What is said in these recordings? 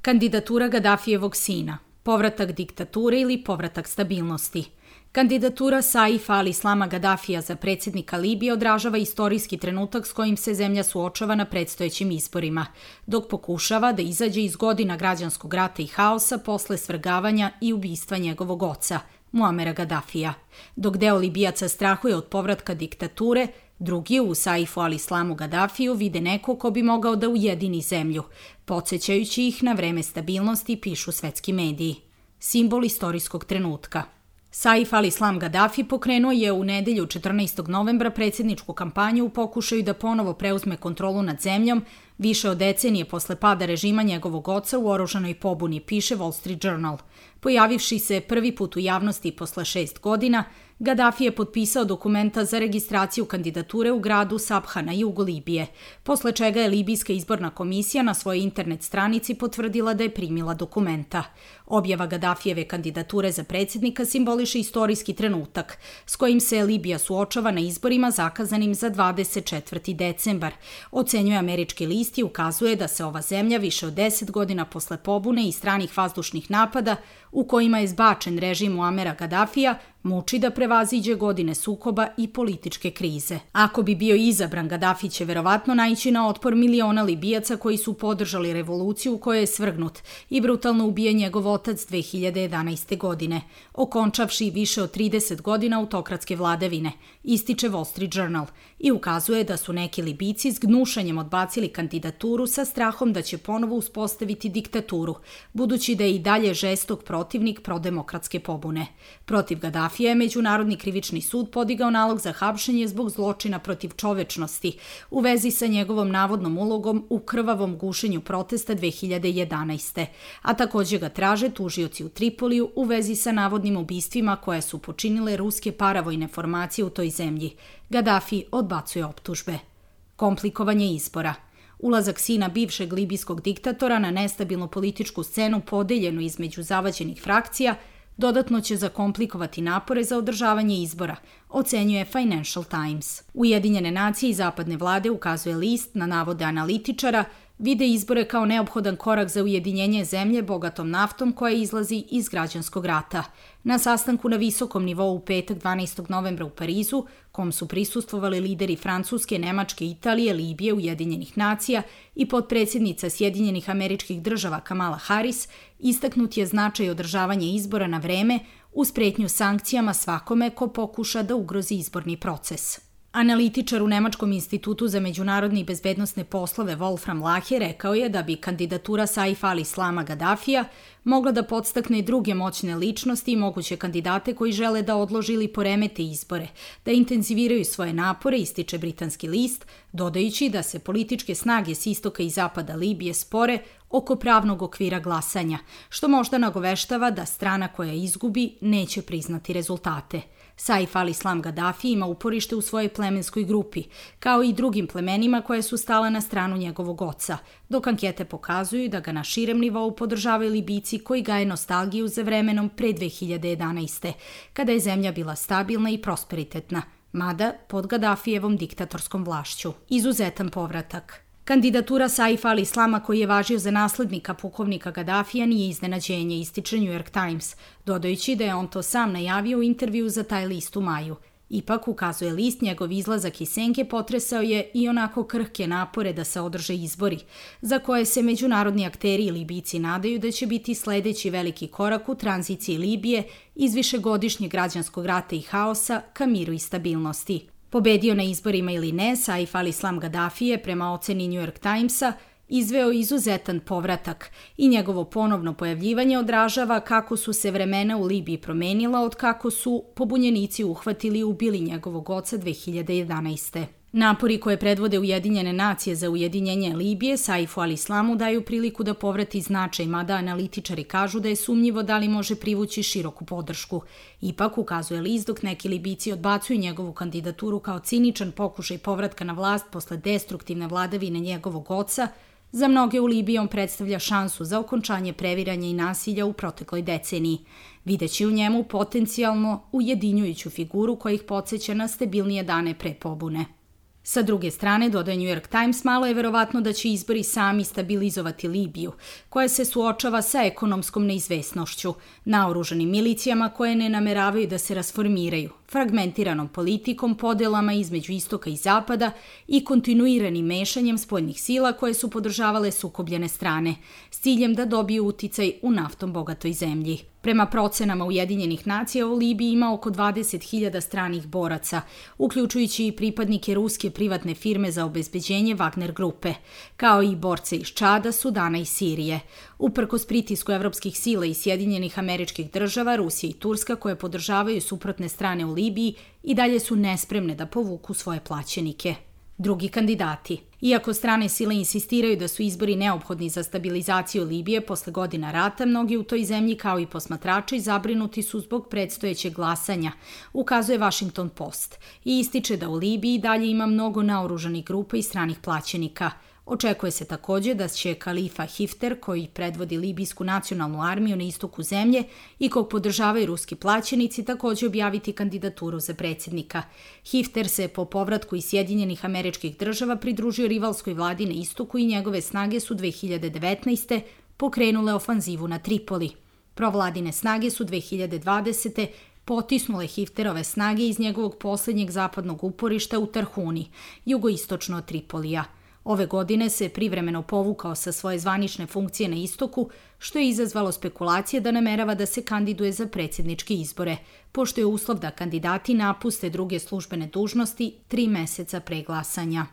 Kandidatura Gadafijevog sina, povratak diktature ili povratak stabilnosti. Kandidatura Saifa al-Islama Gadafija za predsjednika Libije odražava istorijski trenutak s kojim se zemlja suočava na predstojećim izborima, dok pokušava da izađe iz godina građanskog rata i haosa posle svrgavanja i ubistva njegovog oca, Muamera Gadafija. Dok deo Libijaca strahuje od povratka diktature, drugi u Saifu al-Islamu Gadafiju vide neko ko bi mogao da ujedini zemlju, podsjećajući ih na vreme stabilnosti, pišu svetski mediji. Simbol istorijskog trenutka. Saif al-Islam Gadafi pokrenuo je u nedelju 14. novembra predsjedničku kampanju u pokušaju da ponovo preuzme kontrolu nad zemljom, više od decenije posle pada režima njegovog oca u oružanoj pobuni, piše Wall Street Journal. Pojavivši se prvi put u javnosti posle 6 godina, Gadafi je potpisao dokumenta za registraciju kandidature u gradu Sabha na jugu Libije, posle čega je Libijska izborna komisija na svojoj internet stranici potvrdila da je primila dokumenta. Objava Gadafijeve kandidature za predsjednika simboliše istorijski trenutak s kojim se Libija suočava na izborima zakazanim za 24. decembar, ocenjuje američki list i ukazuje da se ova zemlja više od 10 godina posle pobune i stranih vazdušnih napada u kojima je zbačen režim Muamera Gadafija muči da prevaziđe godine sukoba i političke krize. Ako bi bio izabran, Gadafi će verovatno naići na otpor miliona Libijaca koji su podržali revoluciju u kojoj je svrgnut i brutalno ubijen njegov otac 2011. godine, okončavši više od 30 godina autokratske vladavine, ističe Wall Street Journal i ukazuje da su neki Libijci s gnušanjem odbacili kandidaturu sa strahom da će ponovo uspostaviti diktaturu, budući da je i dalje žestok protivnik prodemokratske pobune. Protiv Gadafija je Međunarodni krivični sud podigao nalog za hapšenje zbog zločina protiv čovečnosti u vezi sa njegovom navodnom ulogom u krvavom gušenju protesta 2011. A također ga traže tužioci u Tripoliju u vezi sa navodnim ubistvima koje su počinile ruske paravojne formacije u toj zemlji. Gadafi odbacuje optužbe. Komplikovanje izbora. Ulazak sina bivšeg libijskog diktatora na nestabilnu političku scenu podeljenu između zavađenih frakcija dodatno će zakomplikovati napore za održavanje izbora, ocenjuje Financial Times. Ujedinjene nacije i zapadne vlade, ukazuje list, na navode analitičara, vide izbore kao neophodan korak za ujedinjenje zemlje bogatom naftom koja izlazi iz građanskog rata. Na sastanku na visokom nivou u petak 12. novembra u Parizu, kom su prisustvovali lideri Francuske, Nemačke, Italije, Libije, Ujedinjenih nacija i potpredsjednica Sjedinjenih Američkih Država Kamala Harris, istaknut je značaj održavanja izbora na vreme uz pretnju sankcijama svakome ko pokuša da ugrozi izborni proces. Analitičar u Nemačkom institutu za međunarodne i bezbednosne poslove Wolfram Lahe rekao je da bi kandidatura Saifa al-Islama Gadafija mogla da podstakne druge moćne ličnosti i moguće kandidate koji žele da odlože ili poremete izbore, da intenziviraju svoje napore, ističe britanski list, dodajući da se političke snage s istoka i zapada Libije spore oko pravnog okvira glasanja, što možda nagoveštava da strana koja izgubi neće priznati rezultate. Saif al-Islam Gadafi ima uporište u svojoj plemenskoj grupi, kao i drugim plemenima koje su stala na stranu njegovog oca, dok ankete pokazuju da ga na širem nivou podržavaju Libijci koji gaje nostalgiju za vremenom pre 2011. kada je zemlja bila stabilna i prosperitetna, mada pod Gadafijevom diktatorskom vlašću. Izuzetan povratak. Kandidatura Saifa al-Islama koji je važio za naslednika pukovnika Gadafija nije iznenađenje, ističe New York Times, dodajući da je on to sam najavio u intervju za taj list u maju. Ipak, ukazuje list, njegov izlazak iz senke potresao je i onako krhke napore da se održe izbori, za koje se međunarodni akteri i Libijci nadaju da će biti sledeći veliki korak u tranziciji Libije iz višegodišnjeg građanskog rata i haosa ka miru i stabilnosti. Pobedio na izborima ili ne, Saif al-Islam Gadafi je, prema oceni New York Timesa, izveo izuzetan povratak i njegovo ponovno pojavljivanje odražava kako su se vremena u Libiji promenila od kako su pobunjenici uhvatili i ubili njegovog oca 2011. Napori koje predvode Ujedinjene nacije za ujedinjenje Libije Saifu al-Islamu daju priliku da povrati značaj, mada analitičari kažu da je sumnjivo da li može privući široku podršku. Ipak, ukazuje list, dok neki Libijci odbacuju njegovu kandidaturu kao ciničan pokušaj povratka na vlast posle destruktivne vladavine njegovog oca, za mnoge u Libiji on predstavlja šansu za okončanje previranja i nasilja u protekloj deceniji, videći u njemu potencijalno ujedinjujuću figuru koja ih podsjeća na stabilnije dane pre pobune. Sa druge strane, dodaje New York Times, malo je verovatno da će izbori sami stabilizovati Libiju, koja se suočava sa ekonomskom neizvesnošću, naoružanim milicijama koje ne nameravaju da se rasformiraju, fragmentiranom politikom, podelama između istoka i zapada i kontinuiranim mešanjem spoljnih sila koje su podržavale sukobljene strane, s ciljem da dobiju uticaj u naftom bogatoj zemlji. Prema procenama Ujedinjenih nacija, u Libiji ima oko 20.000 stranih boraca, uključujući i pripadnike ruske privatne firme za obezbeđenje Wagner grupe, kao i borce iz Čada, Sudana i Sirije. Uprkos pritisku evropskih sila i Sjedinjenih Američkih Država, Rusija i Turska, koje podržavaju suprotne strane u Libiji, i dalje su nespremne da povuku svoje plaćenike. Drugi kandidati. Iako strane sile insistiraju da su izbori neophodni za stabilizaciju Libije posle godina rata, mnogi u toj zemlji kao i posmatrači zabrinuti su zbog predstojećeg glasanja, ukazuje Washington Post, i ističe da u Libiji dalje ima mnogo naoružanih grupa i stranih plaćenika. Očekuje se takođe da će Kalifa Hifter, koji predvodi libijsku nacionalnu armiju na istoku zemlje i kog podržavaju ruski plaćenici, takođe objaviti kandidaturu za predsjednika. Hifter se po povratku iz Sjedinjenih Američkih Država pridružio rivalskoj vladi na istoku i njegove snage su 2019. pokrenule ofanzivu na Tripoli. Provladine snage su 2020. potisnule Hifterove snage iz njegovog poslednjeg zapadnog uporišta u Tarhuni, jugoistočno od Tripolija. Ove godine se privremeno povukao sa svoje zvanične funkcije na istoku, što je izazvalo spekulacije da namerava da se kandiduje za predsjedničke izbore, pošto je uslov da kandidati napuste druge službene dužnosti 3 meseca pre glasanja.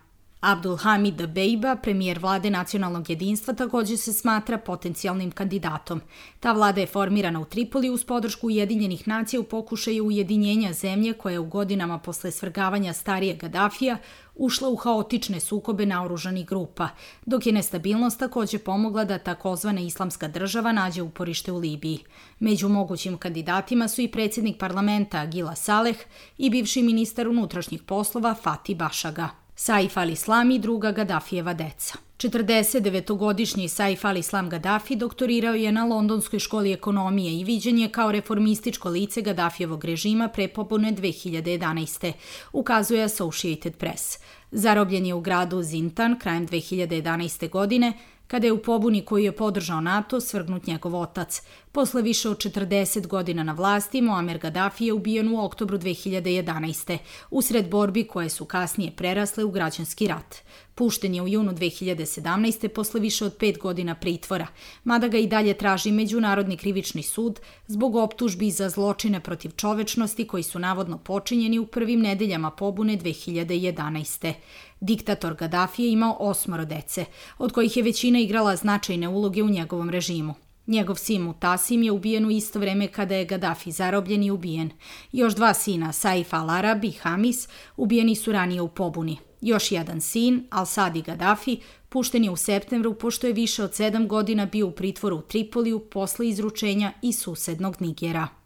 Abdul Hamid Dbeiba, premijer vlade nacionalnog jedinstva, takođe se smatra potencijalnim kandidatom. Ta vlada je formirana u Tripoli uz podršku Ujedinjenih nacija u pokušaju ujedinjenja zemlje koja je u godinama posle svrgavanja starijeg Gadafija ušla u haotične sukobe naoružanih grupa, dok je nestabilnost takođe pomogla da takozvana Islamska država nađe uporište u Libiji. Među mogućim kandidatima su i predsjednik parlamenta Gila Saleh i bivši ministar unutrašnjih poslova Fatih Bašaga. Saif al-Islam i druga Gadafijeva deca. 49-godišnji Saif al-Islam Gadafi doktorirao je na Londonskoj školi ekonomije i viđen je kao reformističko lice Gadafijevog režima pre pobune 2011. ukazuje Associated Press. Zarobljen je u gradu Zintan krajem 2011. godine, kada je u pobuni koju je podržao NATO svrgnut njegov otac. Posle više od 40 godina na vlasti, Muammar Gaddafi je ubijen u oktobru 2011. usred borbi koje su kasnije prerasle u građanski rat. Pušten je u junu 2017. posle više od 5 godina pritvora, mada ga i dalje traži Međunarodni krivični sud zbog optužbi za zločine protiv čovečnosti koji su navodno počinjeni u prvim nedeljama pobune 2011. Diktator Gaddafi je imao 8 dece, od kojih je većina igrala značajne uloge u njegovom režimu. Njegov sin Mutasim je ubijen u isto vreme kada je Gaddafi zarobljen i ubijen. Još 2 sina, Saif al-Arab i Hamis, ubijeni su ranije u pobuni. Još jedan sin, Al-Sadi Gaddafi, pušten je u septembru pošto je više od 7 godina bio u pritvoru u Tripoliju posle izručenja iz susednog Nigera.